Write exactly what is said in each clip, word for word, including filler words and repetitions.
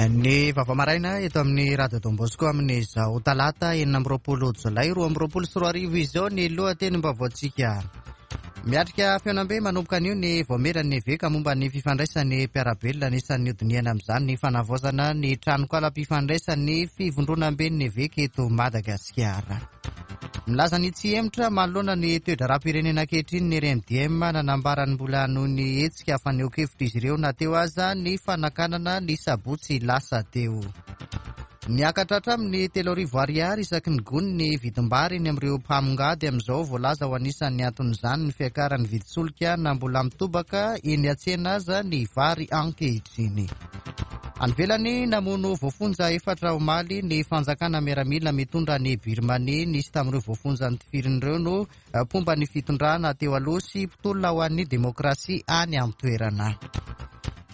Ny vaovao maraina eto amin'ny Radio Don Bosco amin'izao talata enina amby roapolo jolay roa amby roapolo sy roa arivo izao ny lohatenim-baovaontsika. Miatrika fihaonambe manomboka anio ny vaomieran'ny eveka momba ny fifandraisan'ny mpiara-belona. Anisan'ny hodinihana amin'izany ny fanavaozana ny tranokalam-pifandraisan'ny fivondronamben'ny eveka eto Madagasikara. Milaza ny tsy hemotra manoloana ny toe-draharaham-pirenena ankehitriny ny R M D M. Nanambarany mbola noho ny hetsika fanehoan-kevitra izy ireo na teo aza ny fanakanana ny sabotsy lasa teo. Niakatra hatramin'ny telo arivo ariary isaky ny gony ny vidim-bary eny amin'ireo mpamongady amin'izao. Voalaza ho anisan'ny anton'izany ny fiakaran'ny vidin-tsolika na mbola mitobaka eny an-tsena aza ny vary ankehitriny. Any ivelany, namono voafonja efatra omaly ny fanjakana miaramila mitondra ny Birmanie. Nisy tamin'ireo voafonja notifirina ireo no mpomba ny fitondrana teo aloha sy mpitolona ho an'ny demokrasia any an-toerana.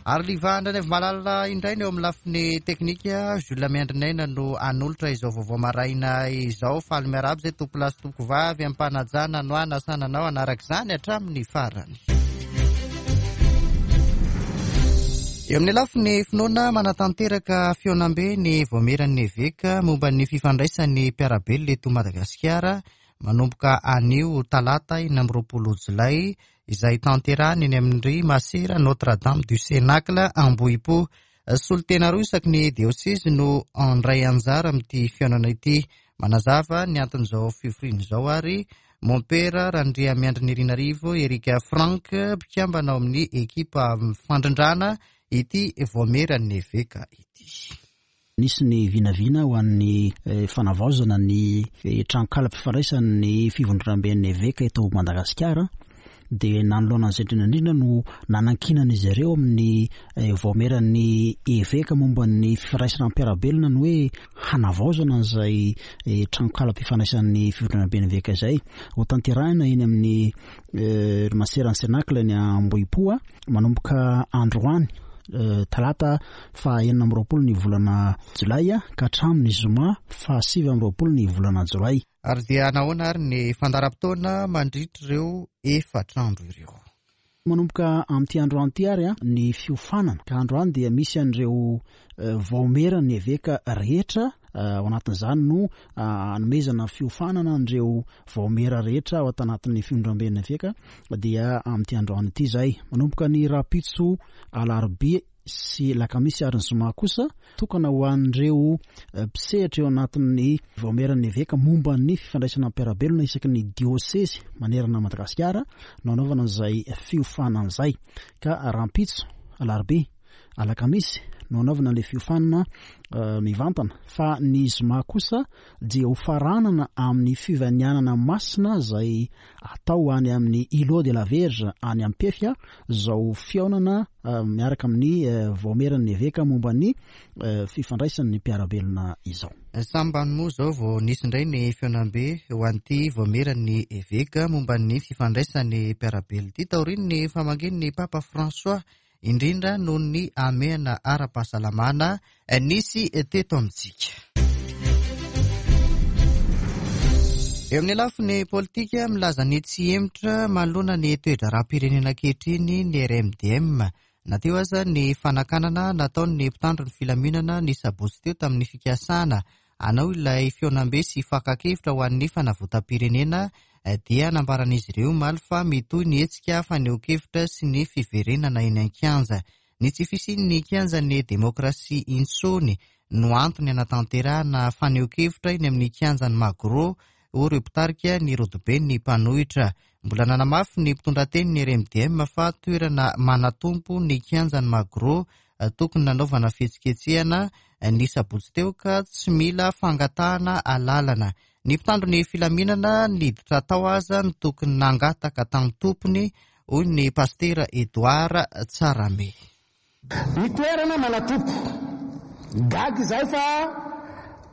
Ary Liva Andranaivo Malala indray ny eo amin'ny lafiny teknika. Jules Miandrinaina no anolotra izao vaovao maraina izao. Faly miarahaba izay tompolahy sy tompovavy ampanajana no anasananao anaraka izany hatramin'ny farany. Eo amin'ny lafiny finoana, manatanteraka fihaonambe ny vaomieran'ny eveka momba ny fifandraisan'ny mpiara-belona eto Madagasikara manomboka anio talata enina amby roapolo jolay, izay tanterahany eny amin'ny Masera Notre Dame du Cénacle Ambohipo. Solontena roa isaky ny diosezy no andray anjara amin'ity fihaonana ity. Manazava ny anton'izao fivoriana izao ary Mompera Randriamiandrinirina Erika Frank, mpikambana ao amin'ny ekipa fandrindrana ity vaomieran'ny eveka ity. Nisy ny vinavina ho an'ny fanavaozana ny tranokalam-pifandraisan'ny fivondronamben'ny eveka eto Madagasikara, dia nanoloana an'izay indrindra indrindra no nanankinan'izy ireo amin'ny vaomieran'ny eveka momba ny fifandraisana mpiara-belona ny hoe hanavaozana an'izay tranokalam-pifandraisan'ny fivondronamben'ny eveka izay. Ho tanterahina eny amin'ny Maseran'ny Cénacle eny Ambohipo manomboka androany talata fa enina amby roapolo ny volana jolay ka hatramin'ny zoma fa sivy amby roapolo ny volana jolay. Ary dia nahoana ary ny fandaharam-potoana mandritra ireo efatra andro ireo? Manomboka amin'ity androany ity ary a ny fiofanana, ka androany dia misy an'ireo vaomieran'ny eveka rehetra. Ao anatin'izany no anomezana fiofanana an'ireo vaomiera rehetra ao anatin'ny fivondronamben'ny eveka, dia amin'ity androany ity zay. Manomboka ny rahampitso alarobia sy lakamisy ary ny zoma kosa, tokana ho an'ireo mpisehatra eo anatin'ny vaomieran'ny eveka momba ny fifandraisana mpiara-belona isaky ny diosezy manerana Madagasikara no anaovana an'izay fiofanana izay, ka rahampitso alarobia, alakamisy no anaovana le fiofanana mivantana, fa ny zoma kosa dia ho faranana amin'ny fivahinianana masina zay atao any amin'ny Îlot de la Vierge any Ampefy zao fihaonana miaraka amin'ny vaomieran'ny eveka momba ny fifandraisan'ny mpiara-belona izao. Sambany moa zao vao nisy indray ny fihaonambe ho an'ity vaomieran'ny eveka momba ny fifandraisan'ny mpiara-belona ity taorian'ny famangian'ny Papa François, indrindra noho ny hamehana ara-pahasalamana nisy teto amintsika. Eo amin'ny lafiny politika, milaza ny tsy hemotra manoloana ny toe-draharaham-pirenena ankehitriny ny R M D M na teo aza ny fanakanana nataon'ny mpitandro ny filaminana ny sabotsy teo tamin'ny fikasana hanao ilay fihaonambe sy fakan-kevitra ho an'ny fanavotam-pirenena. Dia nambaran'izy ireo omaly fa mitohy ny hetsika fanehoan-kevitra sy ny fiverenana eny an-kianja. Ny tsy fisian'ny kianjan'ny demokrasia intsony no antony anatanterahana fanehoan-kevitra eny amin'ny kianjan'ny Magro, hoy ireo mpitarika ny rodobe ny mpanohitra. Mbola nanamafy ny mpitondra teny ny R M D M fa toerana manatompo ny kianjan'ny Magro tokony nanaovana fihetsiketsehana ny sabotsy teo, ka tsy mila fangatahana alalana. Ny mpitandro ny filaminana niditra tao aza ny tokony nangataka tamin'ny tompony, hoy ny pastera Edouard Tsarame. Ny toerana manatompo, gaga izahay fa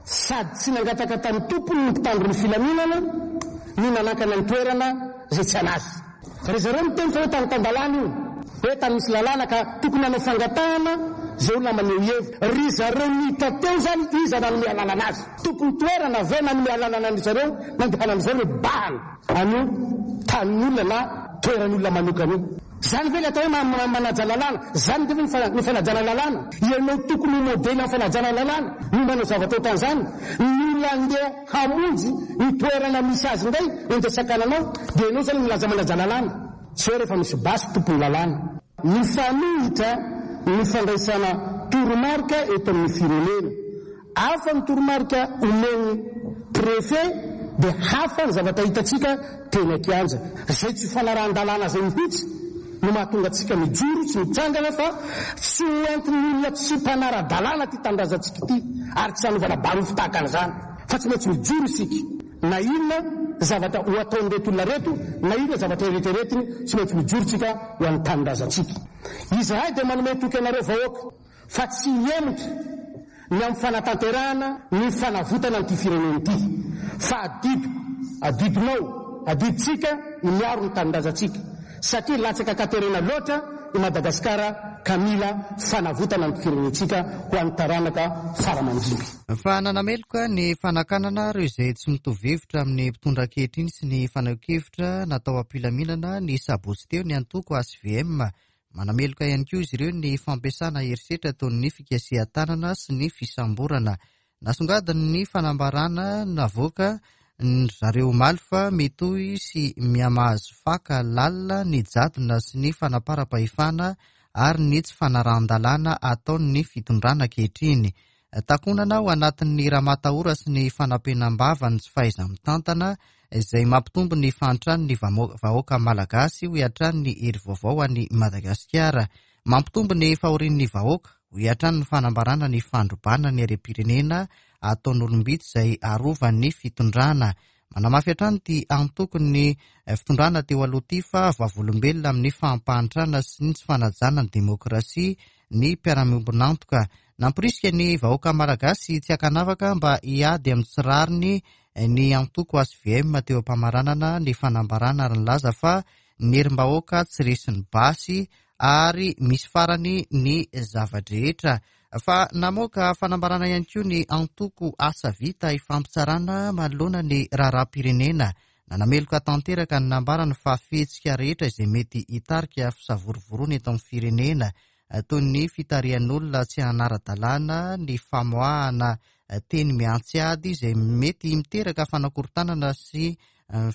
sady tsy nangataka tamin'ny tompony ny mpitandro ny filaminana no nanakana ny toerana zay tsy anazy. Fa ry zareo miteny fa hoe tany tan-dalàna io, hoe tany misy lalàna ka tokony hanao fangatahana zay olona maneho hevitra. Ry zareo niditra teo zany, iza nanome alalana azy? Tompony toerana ve nanome alalana any zareo nandehanan'izao le bahana anio tanin'olona na toeran'olona manokana io? Zany ve le atao hoe manaja lalàna? Zany ve ny fanajana lalàna? Ianao tokony ho modely amin'ny fanajana lalàna no manao zavatra ohatran'izany. Ny olona andeha hamonjy ny toerana misy azy indray no andeha sakananao, dia ianao zany milaza manaja lalàna. Tsy hoe rehefa misy basy tompon'ny lalàna. Mifanohitra ny fandraisana toromarika eto amin'ny firenena. Hafa ny toromarika omen'ny préfet, dia hafa ny zavatra hitantsika teny an-kianja. Izay tsy fanarahan-dalàna izay mihitsy no mahatonga antsika mijoro sy mitsangana fa tsy ho entin'ny olona tsy mpanara-dalàna ity tanindrazantsika ity, ary tsy hanovana barofo tahaka an'izany, fa tsy maintsy mijoro isika. Na inona zavatra ho ataon'ireto olona ireto, na inona zavatra eritreretiny, tsy maintsy mijoro isika ho an'ny tanindrazantsika. Izahay dia manome toky anareo vahoaka fa tsy hihemotra ny amin'ny fanatanterahana ny fanavotana an'ity firenena ity, fa adidiko, adidinao, adidintsika ny miaro ny tanindrazantsika, satria latsaka an-katerena loatra i Madagasikara ka mila fanavotana ny firenentsika ho an'ny taranaka fara-mandimby. Fa nanameloka ny fanakanana ireo izay tsy mitovy hevitra amin'ny mpitondra ankehitriny sy ny fanehoan-kevitra natao am-pilaminana ny sabotsy teo ny antoko H V M. Manameloka ihany koa izy ireo ny fampiasana herisetra ataon'ny fikasihan-tanana sy ny fisamborana. Nasongadiny ny fanambarana navoaka ny zareo omaly fa mitohy sy mihamahazo faka lalina ny jadona sy ny fanaparam-pahefana ary ny tsy fanarahan-dalàna ataon'ny fitondrana ankehitriny. Takonana ao anatin'ny ramatahora sy ny fanampenam-bava ny tsy fahaiza-mitantana izay mampitombo ny fahantran'ny vamo-, vahoaka malagasy, hoy hatrany ny hery vaovao any Madagasikara. Mampitombo ny fahorian'ny vahoaka, hoy hatrany ny fanambarana ny fandrobana ny harem-pirenena ataon'olom-bitsy izay arovan'ny fitondrana. Manamafy hatrany ity antokon'ny fitondrana teo aloha ity fa vavolombelona amin'ny fampahantrana sy ny tsy fanajana ny demokrasia ny mpiara-miombon'antoka. Nampirisika ny vahoaka malagasy tsy ankanavaka mba hiady amin'ny tsy rariny ny antoko H V M teo am-pamaranana ny fanambarana ary nilaza fa ny herim-bahoaka tsy resin'ny basy ary misy farany ny zava-drehetra. Fa namoaka fanambarana ihany koa ny antoko Asa Vita ifampitsarana manoloana ny raharaham-pirenena. Nanameloka tanteraka ny nambarany fa fihetsika rehetra izay mety hitarika fisavorovoroana eto amin'ny firenena, toy ny fitarihan'olona tsy hanara-dalàna, ny famoahana teny miantsy ady izay mety miteraka fanakorontanana sy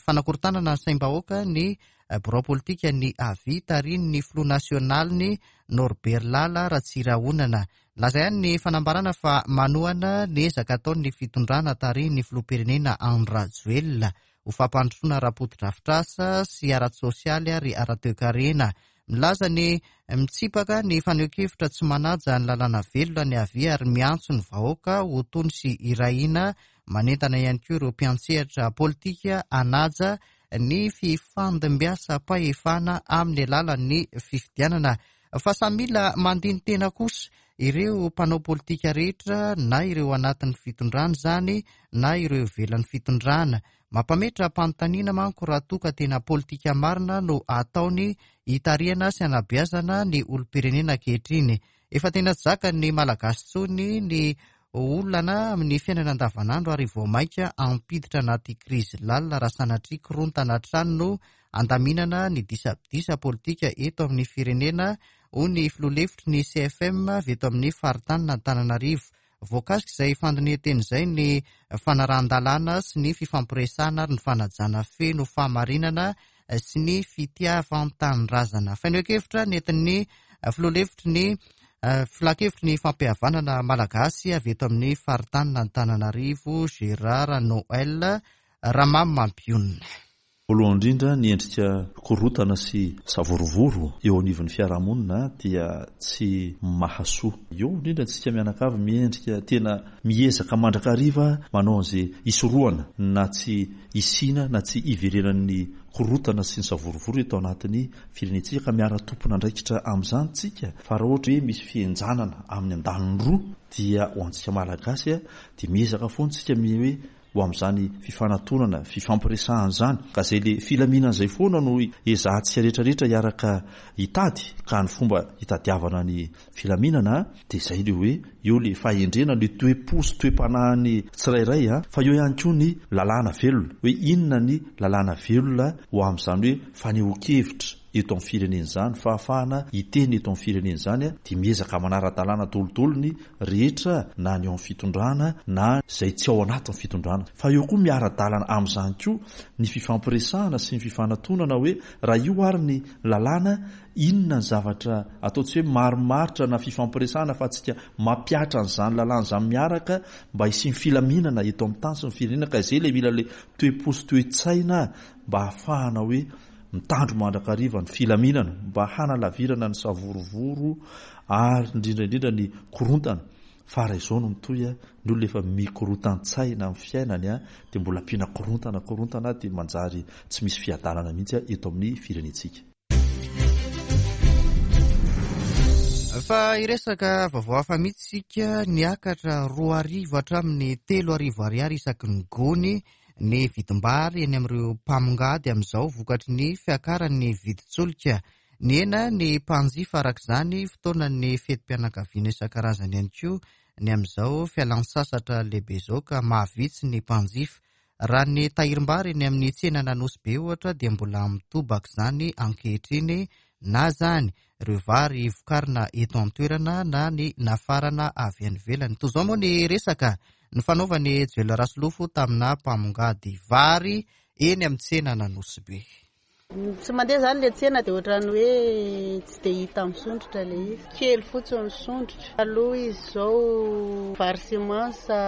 fanakorontanana ny saim-bahoaka ny birao politika ny Avia tarihin'ny filoha nasionaliny Norbert Lala Ratsirahonana. Laza ihany ny fanambarana fa manohana ny ezaka ataon'ny fitondrana tarihin'ny filoham-pirenena Andry Rajoelina ho fampandrosoana ara-potodrafitrasa sy ara-tsosialy ary ara-toekarena. Milaza ny mitsipaka ny fanehoan-kevitra tsy manaja ny lalàna velona ny Avia ary miantso ny vahoaka ho tony sy irahina. Manentana ihany koa ireo mpiantsehatra politika hanaja ny fifandimbiasam-pahefana amin'ny alalan'ny fifidianana. Fa samy mila mandini-tena kosa ireo mpanao politika rehetra, na ireo anatin'ny fitondrana izany na ireo ivelan'ny fitondrana. Mampametra-panontaniana manko raha toa ka tena politika marina no ataony hitarihana sy hanabeazana ny olom-pirenena ankehitriny. Efa tena tsy zakan'ny Malagasy intsony ny olana amin'ny fiainana andavanandro ary vao mainka hampiditra anaty krizy lalina raha sanatria korontana hatrany no andaminana ny disadisa politika eto amin'ny firenena, hoy ny filoha lefitry ny C F M avy eto amin'ny faritanin' Antananarivo. Voakasika izay fandinihan-teny izay ny fanarahan-dalàna sy ny fifampiresahana ary ny fanajana feno fahamarinana sy ny fitiavan-tanindrazana. Fanehoan-kevitra nentin'ny filoha lefitry ny filan-kevitry ny fampihavanana malagasy avy eto amin'ny faritanin' Antananarivo, Gérard Noël Ramamampionona. Voalohany indrindra, ny endrika korontana sy savorovoro eo anivon'ny fiarahamonina dia tsy mahasoa. Eo indrindra antsika mianakavy miendrika tena miezaka mandrakariva manao an'izay hisorohana na tsy hisiana na tsy hiverenan'ny korontana sy ny savorovoro eto anatin'ny firenentsika, ka miara-tompon'andraikitra amin'izany tsika. Fa raha ohatra hoe misy fihenjanana amin'ny andaniny roa dia ho antsika malagasy dia miezaka foana tsika hoe ho amin'izany fifanatonana, fifampiresahana izany. Ka izay le filaminana izay foana no ezahantsika rehetrarehetra hiaraka hitady, ka ny fomba hitadiavana ny filaminana dia izay le hoe eo le fahendrena, le toe-po sy toe-panahin'ny tsirairay, a, fa eo ihany koa ny lalàna velona, hoe inona ny lalàna velona ho amin'izany hoe fanehoan-kevitra eto amin'ny firenena izany, fahafahana hiteny eto amin'ny firenena izany dia miezaka manara-dalàna daholo ny rehetra na ny ao amin'ny fitondrana na izay tsy ao anatin'ny fitondrana. Fa eo koa miara-dalana amin'izany koa ny fifampiresahana sy ny fifanatonana hoe raha io ary ny lalàna inona ny zavatra atao tsy hoe marimaritra na fifampiresahana fa tsika mampihatra an'izany lalàna izany miaraka mba hisian'ny filaminana eto amin'ny tany sy ny firenena ka izay ilay mila ilay toe-po sy toe-tsaina mba hahafahana hoe mitandro mandrakariva ny filaminana mba hanalavirana ny savorovoro ary indrindra indrindra ny korontana. Fa raha izao no mitohy, ny olona efa mikorotan-tsaina amin'ny fiainany dia mbola ampiana korontana korontana dia manjary tsy misy fiadanana mihitsy eto amin'ny firenentsika. Fa hiresaka vaovao hafa mihitsy isika. Niakatra roa arivo hatramin'ny telo arivo ariary isaky ny gony ny vidim-bary eny amin'ireo mpamongady amin'izao vokatry ny fiakaran'ny vidin-tsolika. Nihena ny mpanjifa araka izany fotoanan'ny fetim-pianakaviana isan-karazany ihany koa ny amin'izao fialan-tsasatra lehibe izao ka mahavitsy ny mpanjifa. Raha ny tahirim-bary eny amin'ny tsenan'Anosy Be ohatra dia mbola mitobaka izany ankehitriny na izany ireo vary vokarina eto an-toerana na ny nafarana avy any ivelany. Toy izao moa ny resaka ny fanaovan'i Joel Rasolofo tamina mpamongady vary eny amin'ny tsenan'Anosy Be. Tsy mandeha izany ilay tsena dia ohatran'ny hoe tsy dia hita misondrotra ilay izy. Kely fotsiny misondrotra. Aloha izy izao vary semence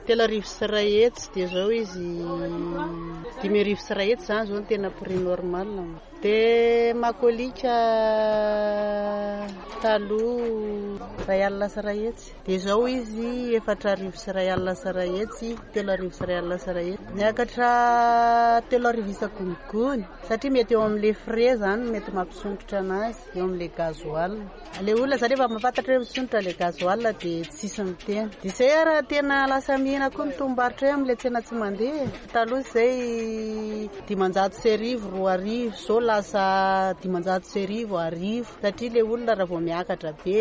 telo arivo sy iray hetsy dia izao izy dimy arivo sy iray hetsy izany izao no tena prix normal. Dia makolika taloha iray alina sy iray hetsy dia izao izy efatra arivo sy iray alina sy iray hetsy, telo arivo sy iray alina sy iray hetsy. Miakatra telo arivo isan-gony satria mety eo amin'ilay frais izany mety mampisondrotra anazy eo amin'ilay gasoil. Ilay olona izany efa mahafantatra hoe misondrotra ilay gasoil dia tsisy miteny. Dia izay raha tena lasa mihena koa ny tombom-barotra eo amin'ilay tsena tsy mandeha. Taloha izay dimanjato sy arivo, roa arivo, izao lasa dimanjato sy arivo, arivo satria ilay olona raha vao miakatra be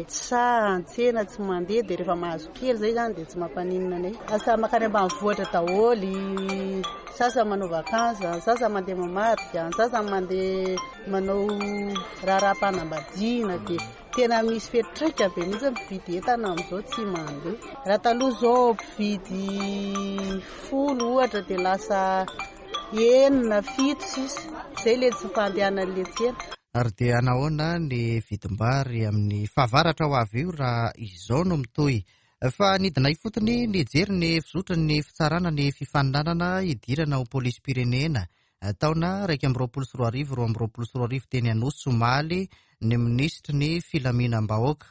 tsy sahy an-tsena tsy mandeha dia rehefa mahazo kely izay izany dia tsy mampaninona anay. Lasa mankany ambanivohitra daholo, sasany manao vacances, sasany mandeha mamadika, sasany mandeha manao raharaham-panambadiana dia tena misy fiantraika be mihitsy ny mpividy entana amin'izao tsy mandeha. Raha taloha izao mpividy folo ohatra dia lasa enina, fito sisa. Izay ilay tsy fandehanan'ilay tsena. Ary dia nahoana ny vidim-bary amin'ny fahavaratra ho avy io raha izao no mitohy? Fa nidina ifotony nijery ny fizotran'ny fitsarana ny fifaninanana hidirana ho polisim-pirenena taona iraika amby roapolo sy roa arivo, roa amby roapolo sy roa arivo teny Anosy omaly ny minisitry ny filaminam-bahoaka.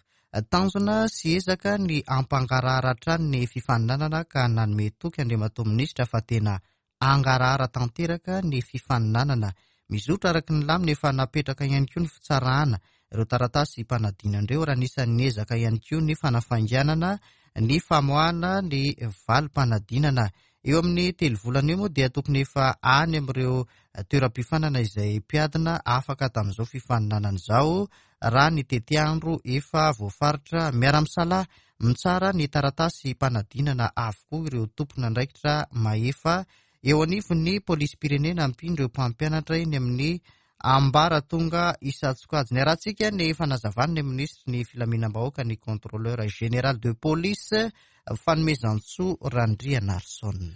Tanjona sy ezaka ny hampangarahara hatrany ny fifaninanana ka nanome toky Andriamatoa minisitra fa tena hangarahara tanteraka ny fifaninanana. Mizotra araka ny lamina efa napetraka ihany koa ny fitsarana ireo taratasy mpanadinana ireo raha anisan'ny ezaka ihany koa ny fanafainganana ny famoahana ny valim-panadinana. Eo amin'ny telo volana eo moa dia tokony efa any amin'ireo toeram-pifanana izay mpiadina afaka tamin'izao fifaninanana izao raha ny tetiandro efa voafaritra. Miara-misalahy mitsara ny taratasy mpanadinana avokoa ireo tompon'andraikitra mahefa eo anivon'ny polisim-pirenena ampian'ireo mpampianatra eny amin'ny ambaratonga isan-tsokajiny. Arahantsika ny fanazavana ny minisitry ny filaminam-bahoaka ny contrôleur général de police Fanomezantsoa Randrianarison.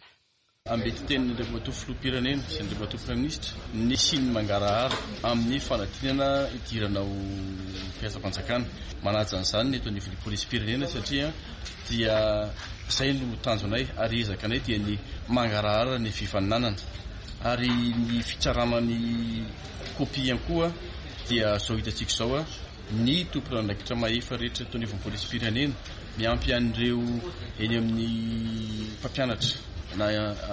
Ambetitenin'ny Andriamatoa Filoham-pirenena sy Andriamatoa Praiminisitra ny hisian'ny mangarahara amin'ny fanadinana hidirana ho mpiasam-panjakana. Manaja an'izany ny eto anivon'ny polisim-pirenena satria dia izay no tanjonay ary ezaka anay dia ny mangarahara ny fifaninanana. Ary ny fitsarana ny kopia ihany koa dia izao hitantsika izao ny tompon'andraikitra mahefa rehetra eto anivon'ny polisim-pirenena miampy an'ireo eny amin'ny mpampianatra na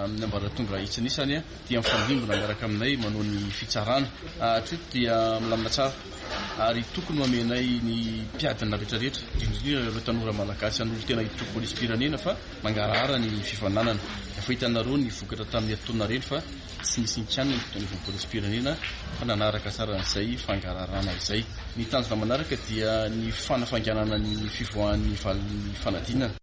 amin'ny ambaratonga isan'isany dia mifandrimbona miaraka aminay manao ny fitsarana. Hatreto dia milamina tsara ary tokony homenay ny mpiadina rehetrarehetra, indrindra ireo tanora malagasy hanolo-tena hiditra ho polisim-pirenena fa mangarahara ny fifaninanana. Efa hitanareo ny vokatra tamin'ny herintaona ireny fa tsy nisy nikianina ny eto anivon'ny polisim-pirenena fa nanaraka tsara an'izay fangaraharana izay. Ny tanjona manaraka dia ny fanafainganana ny fivoahan'ny valin'ny fanadinana.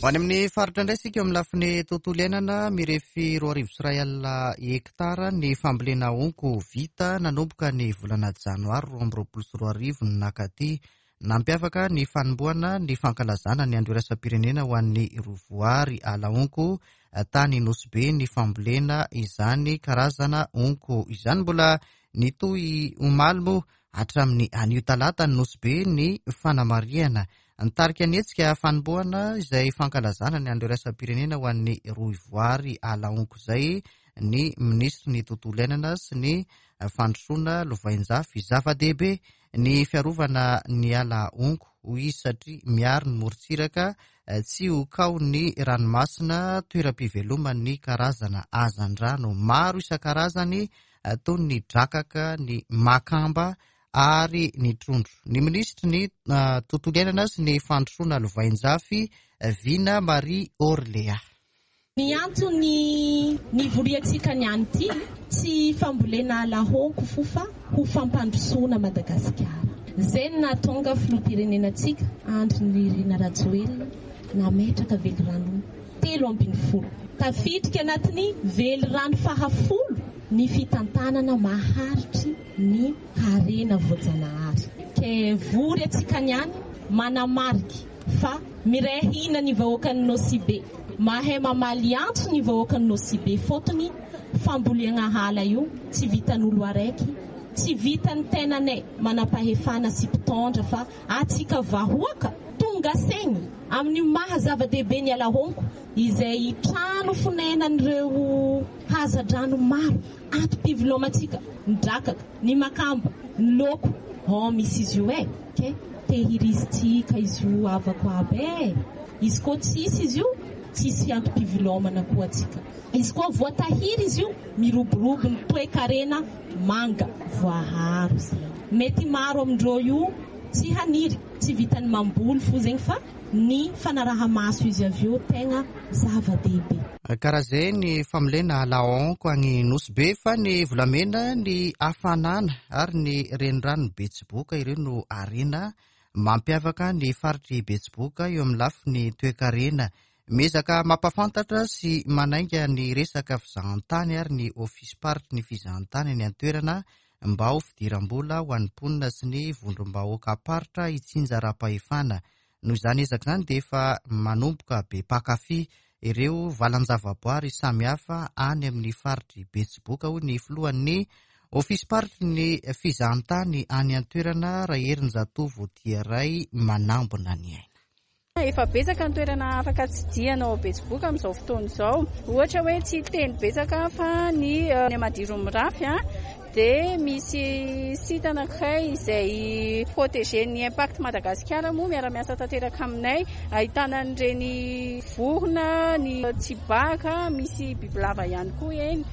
Ho any amin'ny faritra indray isika eo amin'ny lafiny tontolo iainana, mirefy roa arivo sy iray alina hektara ny fambolena honko vita nanomboka ny volana janoary roa amby roapolo sy roa arivo no nakaty. Nampiavaka ny fanombohana ny fankalazana ny andro iraisam-pirenena ho an'ny rovoary ala honko tany Nosy Be ny fambolena izany karazana honko izany. Mbola nitohy omaly moa hatramin'ny anio talata ny Nosy Be ny fanamarihana. Nitarika ny hetsika fanombohana izay fankalazana ny andro iraisam-pirenena ho an'ny rohivoary ala honko izay ny minisitry ny tontolo iainana sy ny fandrosoana lovainjafy. Zava-dehibe ny fiarovana ny ala honko hoy izy satria miaro ny morontsiraka tsy ho kaon'ny ranomasina, toeram-piveloman'ny karazana hazandrano maro isan-karazany toy ny drakaka, ny makamba ary ny trondro. Ny minisitry ny tontolo iainana sy ny fandrosoana lovainjafy, Vina Marie Orléa. Ny antony nivoriantsika ny any ity tsy fambolena ala honko fo fa ho fampandrosoana Madagasikara. Izay no nahatonga filoham-pirenenantsika Andry Nirina Rajoelina nametraka velirano telo ambin'ny folo. Tafiditra anatin'ny velirano fahafolo ny fitantanana maharitry ny harena voajanahary. Ke vory antsika ny any manamariky fa miray hina ny vahoakan'ny Nosy Be. Mahay mamaly antso ny vahoakan'ny Nosy Be fotony fambolena ala io tsy vitan'olo araiky, tsy vitan'ny tenanay manam-pahefana sy mpitondra fa atsika vahoaka tonga saigny amin'ny maha zava-dehibe ny ala honko izay trano fonenan'ireo hazandrano maro antom-pivelomantsika, ny drakaka, ny makamba, ny loko. Oh, misy izy io e, ke tehirizitsika izy io avako aby e. Izy koa tsisy izy io, tsisy antom-pivelomana koa atsika. Izy koa voatahiry izy io, miroborobo ny toe-karena manga voaharo zay. Mety maro amindreo io tsy haniry, tsy vitany mamboly fo zegny fa ny fanaraha-maso izy avy eo tegna zava-dehibe. Karaha izay ny fambolena ala honko any Nosy Be fa ny volamena, ny hafanana ary ny renirano Betsiboka ireo no harena mampiavaka ny faritry Betsiboka eo amin'ny lafiny toe-karena. Miezaka mampahafantatra sy manainga ny resaka fizahantany ary ny ofisim-paritry ny fizahantany any an-toerana mba ho fidiram-bola ho an'ny mponina sy ny vondrom-bahoaka-paritra itsinjaram-pahefana. Noho izany ezaka izany dia efa manomboka be mpankafy ireo valan-javaboary samihafa any amin'ny faritry Betsiboka hoy ny filohan'ny ofisim-paritry ny fizahantany any an-toerana Raherinjatovo Tiaray manambina ny aina. Efa betsaka ny toerana afaka tsidihana ao Betsiboka amin'izao fotoana izao. Ohatra hoe tsy teny betsaka fa ny ny Amadiro mirafy a, dia misy site anankiray izay protégé ny Impact Madagasikara moa miara-miasa tanteraka aminay, ahitana an'ireny vorona, ny tsibaka, misy bibilava ihany koa eny.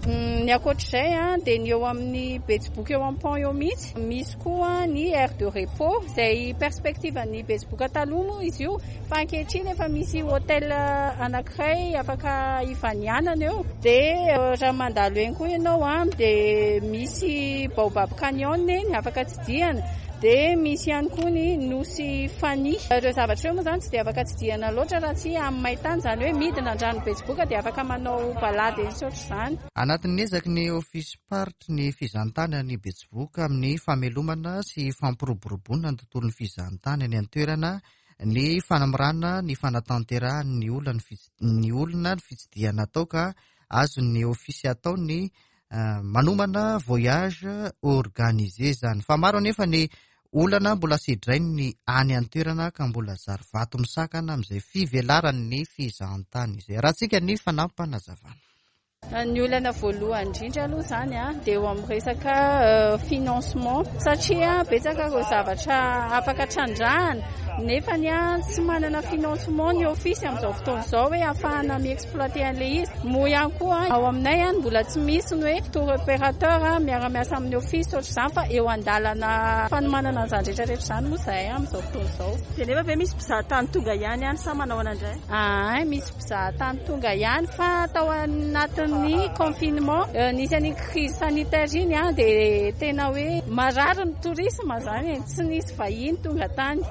Ny ankoatr'izay a, dia ny eo amin'ny Betsiboka eo amin'ny pont eo mihitsy, misy koa ny aire de repos izay perspective ny Betsiboka taloha moa izy io, fa ankehitriny efa misy hôtel anankiray afaka ivanianana eo. Dia raha mandalo eny koa ianao a, dia misy Baobab Canyon eny afaka tsidihana. Dia misy ihany koa ny Nosy Fani. Ireo zavatra ireo moa izany tsy dia afaka tsidihana loatra raha tsy amin'ny maintany, izany hoe midina an-drano Betsiboka dia afaka manao balade eny sy ohatr'izany. Anatin'ny ezaky ny ofisim-paritry ny fizahantany any Betsiboka amin'ny famelomana sy fampiroboroboana ny tontolon'ny fizahantany any an-toerana ny fanamorana ny fanatanterahany ny olona ny fits-, ny olona ny fitsidihana atao ka azon'ny ofisy atao ny manomana voyage organisé izany. Fa maro anefa ny olana mbola sedrainy any an-toerana ka mbola zary vato misakana amin'izay fivelaran'ny fizahantany izay. Rahantsika ny fanampinazavana. Ny olana voalohany indrindra aloha izany a, dia eo amin'ny resaka financement, satria betsaka ireo zavatra afaka trandrahana nefa ny a tsy manana financement ny ofisy amin'izao fotoana izao hoe ahafahana mi-exploiter an'ilay izy. Moa ihany koa ao aminay a, mbola tsy misy ny hoe tour opérateur miara-miasa amin'ny ofisy ohatr'izany, fa eo an-dalana fanomanana an'izany rehetrarehetra izany moa izahay amin'izao fotoana izao. Dia nefa ve misy mpizahatany tonga ihany any sa manao ahoana indray? Ah, misy mpizahatany tonga ihany fa tao anatin'ny confinement, nisy an'iny crise sanitaire iny a, dia tena hoe marary ny tourisme izany e, tsy nisy vahiny tonga tany.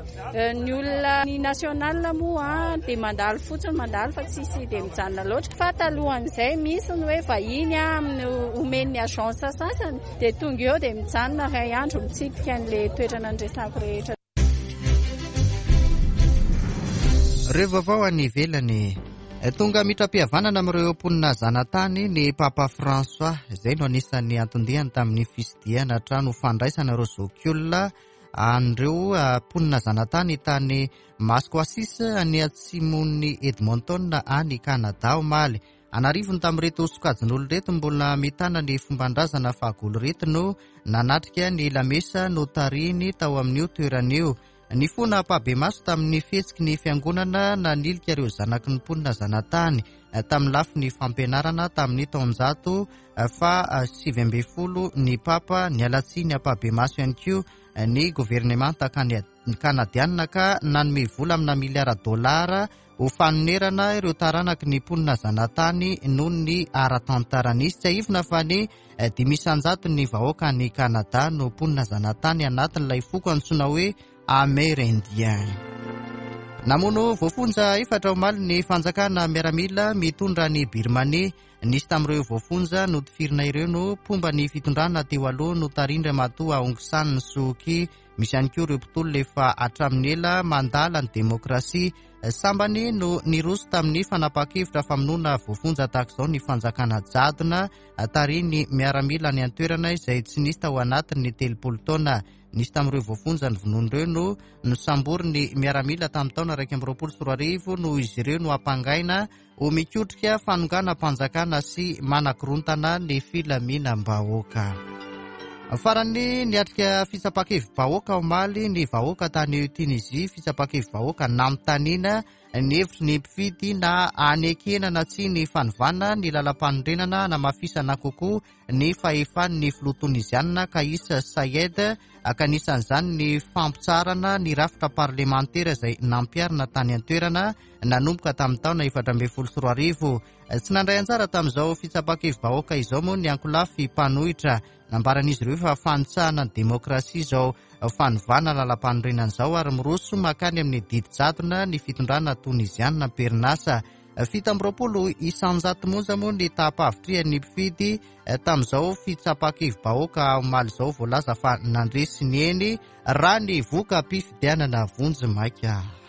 Ny olona ny national moa dia mandalo fotsiny, mandalo fa tsisy dia mijanona loatra. Fa talohan'izay misy ny hoe vahiny amin'ny omen'ny agence sasany dia tonga eo dia mijanona iray andro mitsidika an'ilay toerana andresako rehetra. Ireo vaovao any ivelany. Tonga mitra-pihavanana amin'ireo mponina zanatany ny Papa François, izay no anisan'ny anton-diany tamin'ny fisidihana trano fandraisana ireo zokiolona an'ireo mponina zanatany tany Maskwacis any atsimon'ny Edmonton any Canada omaly. Anarivony tamin'ireto sokajin'olona ireto mbola mitana ny fomban-drazana fahagola ireto no nanatrika ny lamesa notarihiny tao amin'io toerana io. Nifona ampahibemaso tamin'ny fihetsiky ny fiangonana nanilika ireo zanaky ny mponina zanatany tamin'ny lafiny fampianarana tamin'ny taonjato fa sivy ambin'ny folo ny Papa. Niala tsiny ampahibemaso ihany koa ny governemanta kanadianina ka nanome vola amina miliara dolara ho fanonerana ireo taranaky ny mponina zanatany noho ny ara-tantara nisy. Tsiahivina fa ny dimy isan-jato ny vahoaka any Kanada no mponina zanatany anatin'ilay foko antsoina hoe Amérindien. Namono voafonja efatra omaly ny fanjakana miaramila mitondra ny Birmanie. Nisy tamin'ireo voafonja notifirina ireo no mpomba ny fitondrana teo aloha notarin-dRamatoa Aung San Suu Kyi. Misy ihany koa ireo mpitolona efa hatramin'ny ela mandala ny demokrasia. Sambany no niroso tamin'ny fanapahan-kevitra famonoana voafonja tahaka izao ny fanjakana jadona tarihin'ny miaramila any an-toerana izay tsy nisy tao anatin'ny telopolo taona. Nisy tamin'ireo voafonja ny vonoana ireo no nosamborin'ny miaramila tamin'ny taona iraika amby roapolo sy roa arivo noho izy ireo no ampangaina ho mikotrika fanonganam-panjakana sy manakorontana ny filaminam-bahoaka. Farany niatrika fitsapan-kevi-bahoaka omaly ny vahoaka tany Tunisie, fitsapan-kevi-bahoaka nanontaniana ny hevitry ny mpifidy na anekena na tsia ny fanovana ny lalam-panorenana hanamafisana kokoa ny fahefan'ny filoha tonizianina Kais Saied, ka anisan'izany ny fampitsarana ny rafitra parlemantera izay nampiharina tany an-toerana nanomboka tamin'ny taona efatra ambin'ny folo sy roa arivo. Tsy nandray anjara tamin'izao fitsapan-kevi-bahoaka izao moa ny ankolafy mpanohitra. Nambaran'izy ireo fa fanitsahana ny demokrasia izao fanovana lalam-panorenana izao ary miroso makany amin'ny didy jadona ny fitondrana tonizianina am-perinasa. Fito amby roapolo isan-jato monja moa ny taham-pahavitrihan'ny mpifidy tamin'izao fitsapan-kevi-bahoaka omaly izao, voalaza fa nandresy ny eny raha ny voka-pifidianana vonjimaika.